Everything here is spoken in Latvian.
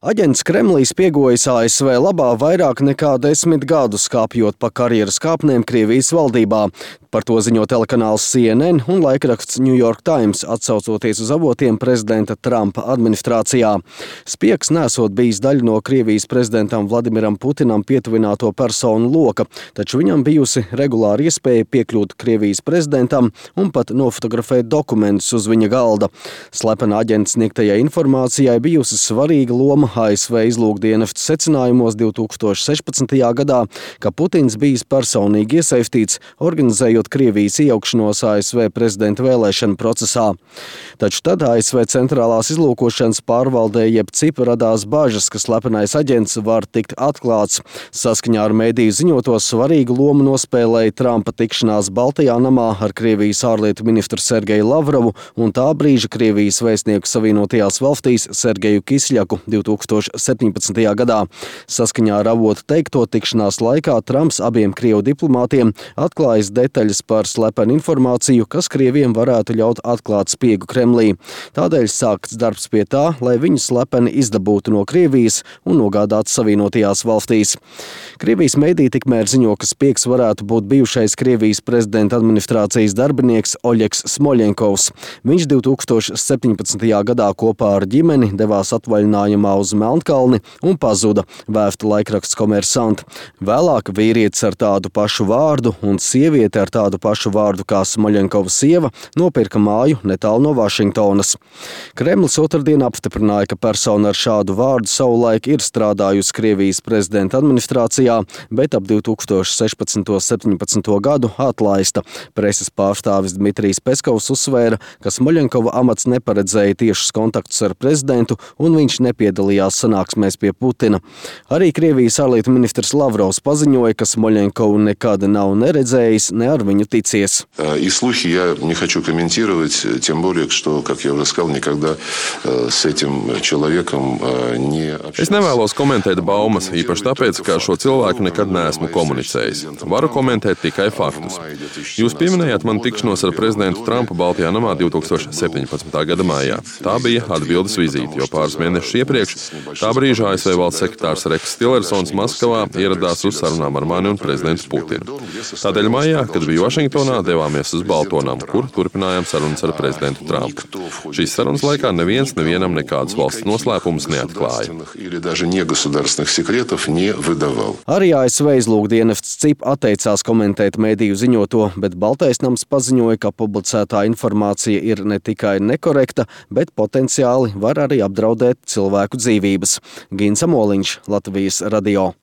Aģents Kremlī spiegojas ASV labā vairāk nekā 10 gadus, kāpjot pa karjeras kāpnēm Krievijas valdībā. Par to ziņo telekanāls CNN un laikraksts New York Times, atsaucoties uz avotiem prezidenta Trumpa administrācijā. Spiegs nesot bijis daļa no Krievijas prezidentam Vladimiram Putinam pietuvināto personu loka, taču viņam bijusi regulāra iespēja piekļūt Krievijas prezidentam un pat nofotografēt dokumentus uz viņa galda. Slepena aģenta sniegtajai informācijai bijusi svarīga loma ASV izlūkdienesta secinājumos 2016. gadā, ka Putins bijis personīgi iesaistīts, organizējot Krievijas iejaukšanos ASV prezidenta vēlēšanu procesā. Taču tad ASV centrālās izlūkošanas pārvaldē jeb CIP radās bažas, ka slepenais aģents var tikt atklāts. Saskaņā ar mediju ziņoto svarīgu lomu nospēlēja Trumpa tikšanās Baltajā namā ar Krievijas ārlietu ministru Sergeju Lavrovu un tā brīža Krievijas vēstnieku Savienotajās valstīs Sergeju Kisļaku 2017. gadā. Saskaņā ar avotu teikto, tikšanās laikā Trumps abiem Krievu diplomātiem atklājis detaļas par slepenu informāciju, kas Krieviem varētu ļaut atklāt spiegu Kremlī. Tādēļ sākts darbs pie tā, lai viņu slepeni izdabūtu no Krievijas un nogādātu Savienotajās valstīs. Krievijas mediji tikmēr ziņo, ka spiegs varētu būt bijušais Krievijas prezidenta administrācijas darbinieks Oļegs Smoļenkovs. Viņš 2017. gadā kopā ar ģimeni devās atvaļinājumā uz Melnkalni un pazuda, vēsta laikraksts Komersant. Vēlāk vīrietis ar tādu pašu vārdu un sieviete ar tādu pašu vārdu kā Smoļenkova sieva nopirka māju netālu no Vašingtonas. Kremlis otrdien apstiprināja, ka persona ar šādu vārdu savulaik ir strādājusi Krievijas prezidenta administrācijā, bet ap 2016.17. gadu atlaista. Preses pārstāvis Dmitrijs Peskovs uzsvēra, ka Smoļenkova amats neparedzēja tiešus kontaktus ar prezidentu un viņš nepiedalījās sanāksmēs pie Putina. Arī Krievijas ārlietu ministrs Lavrovs paziņoja, ka Smoļenkovu nekad nav neredzējis, ne ar viņu ticies. И слухи я не хочу комментировать, тем более, что, как я уже сказал, никогда с этим человеком не общался. Es nevēlos komentēt baumas, īpaši tāpēc, ka šo cilvēku nekad neesmu komunicējis. Varu komentēt tikai faktus. Jūs pieminējāt manu tikšanos ar prezidentu Trumpu Baltajā namā 2017. gada maijā. Tā bija atbildes vizīte, jo pāris mēnešus iepriekš tā brīža ASV valsts sekretārs Reks Tillersons Maskavā ieradās uz sarunām ar mani un prezidentu Putinu. Tādēļ maijā, kad biju Vašingtonā, devāmies uz Baltonamu, kur turpinājām sarunas ar prezidentu Trumpu. Šīs sarunas laikā nevienam nekādus valsts noslēpumus neatklāja. Arī ASV izlūkdienests CIP atteicās komentēt mediju ziņoto, bet Baltais nams paziņoja, ka publicētā informācija ir ne tikai nekorekta, bet potenciāli var arī apdraudēt cilvēku dzīvības. Gins Amoliņš, Latvijas radio.